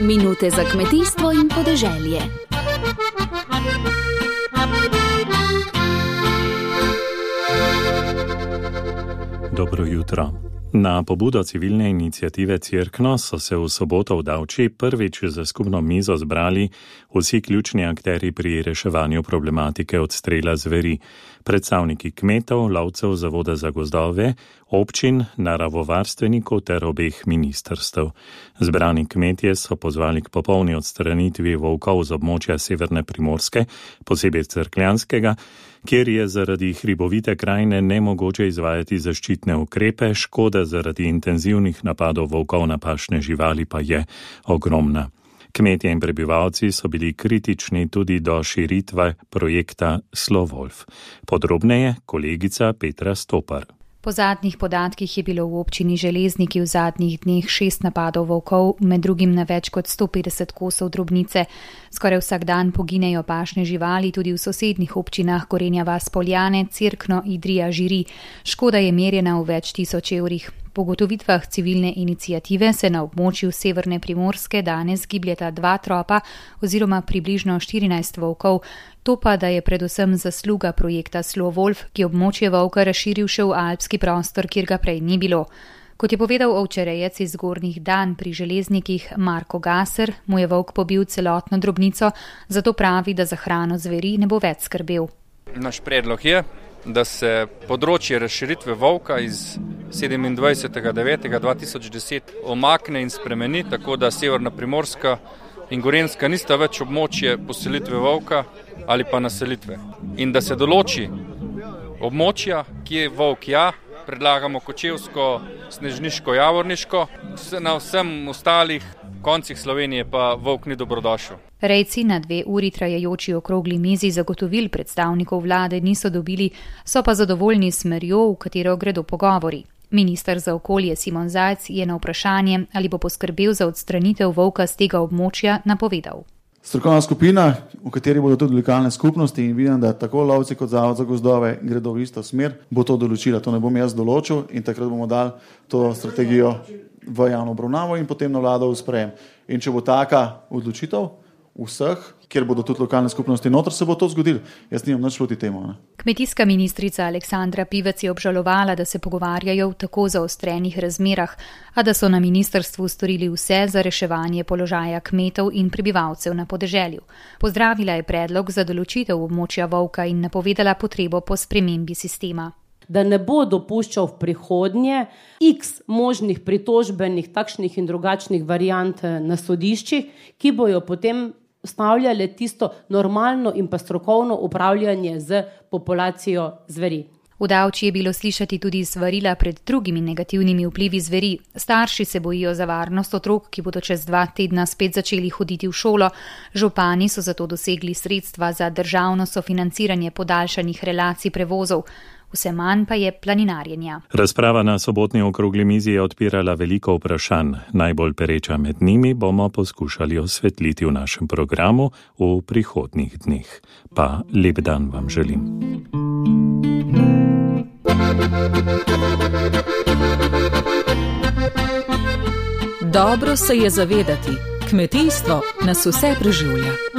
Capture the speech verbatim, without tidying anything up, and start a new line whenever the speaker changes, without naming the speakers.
Minute za kmetijstvo in podeželje.
Dobro jutro. Na pobudo civilne iniciative Cerkno so se v soboto v Davči prvič za skupno mizo zbrali vsi ključni akteri pri reševanju problematike odstrela zveri, predstavniki kmetov, lovcev Zavoda za gozdove, občin, naravovarstvenikov ter obeh ministrstev. Zbrani kmetje so pozvali k popolni odstranitvi volkov z območja severne Primorske, posebej Cerkljanskega, kjer je zaradi hribovite krajine nemogoče izvajati zaščitne ukrepe, škoda zaradi intenzivnih napadov volkov na pašne živali pa je ogromna. Kmetje in prebivalci so bili kritični tudi do širitve projekta Slovolf. Podrobneje kolegica Petra Stopar.
Po zadnjih podatkih je bilo v občini Železniki v zadnjih dneh šest napadov volkov, med drugim na več kot sto petdeset kosov drobnice. Skoraj vsak dan poginejo pašne živali tudi v sosednjih občinah Gorenja vas Poljane, Cerkno, Idrija, Žiri. Škoda je merjena v več tisoč evrih. Po ugotovitvah civilne iniciative se na območju severne Primorske danes gibljeta dva tropa oziroma približno štirinajst volkov. To pa, da je predvsem zasluga projekta Slovolf, ki območje volka razširil še v alpski prostor, kjer ga prej ni bilo. Kot je povedal ovčerejec iz Zgornjih Dan pri Železnikih Marko Gaser, mu je volk pobil celotno drobnico, zato pravi, da za hrano zveri ne bo več skrbel.
Naš predlog je, da se področje razširitve volka iz sedemindvajsetega devetega dva tisoč deset omakne in spremeni, tako da severna Primorska in Gorenjska nista več območje poselitve volka ali pa naselitve. In da se določi območja, kje volk ja, predlagamo Kočevsko, Snežniško, Javorniško, na vsem ostalih koncih Slovenije pa volk ni dobrodošel.
Rejci na dve uri trajajoči okrogli mizi zagotovil predstavnikov vlade niso dobili, so pa zadovoljni s smerjo, v katero gredo pogovori. Minister za okolje Simon Zajc je na vprašanje, ali bo poskrbel za odstranitev volka z tega območja, napovedal.
Strokovna skupina, v kateri bodo tudi lokalne skupnosti in vidim, da tako lovci kot Zavod za gozdove gredo v isto smer, bo to določila. To ne bom jaz določil in takrat bomo dali to strategijo v javno obravnavo in potem na vlado v sprejem. In če bo taka odločitev vseh, kjer bodo tudi lokalne skupnosti noter, se bo to zgodilo. Jaz nimam nič proti temu. Ne?
Kmetijska ministrica Aleksandra Pivec je obžalovala, da se pogovarjajo v tako zaostrenih razmerah, a da so na ministrstvu storili vse za reševanje položaja kmetov in prebivalcev na podeželju. Pozdravila je predlog za določitev območja volka in napovedala potrebo po spremembi sistema.
Da ne bo dopuščal v prihodnje x možnih pritožbenih takšnih in drugačnih variant na sodiščih, ki bojo potem stavljale tisto normalno in pa strokovno upravljanje z populacijo zveri.
V Davči je bilo slišati tudi svarila pred drugimi negativnimi vplivi zveri. Starši se bojijo za varnost otrok, ki bodo čez dva tedna spet začeli hoditi v šolo. Župani so zato dosegli sredstva za državno sofinanciranje podaljšanih relacij prevozov. Vse manj pa je planinarjenja.
Razprava na sobotni okrogli mizi je odpirala veliko vprašanj. Najbolj pereča med njimi bomo poskušali osvetliti v našem programu v prihodnjih dneh. Pa lep dan vam želim.
Dobro se je zavedati, kmetijstvo nas vse preživlja.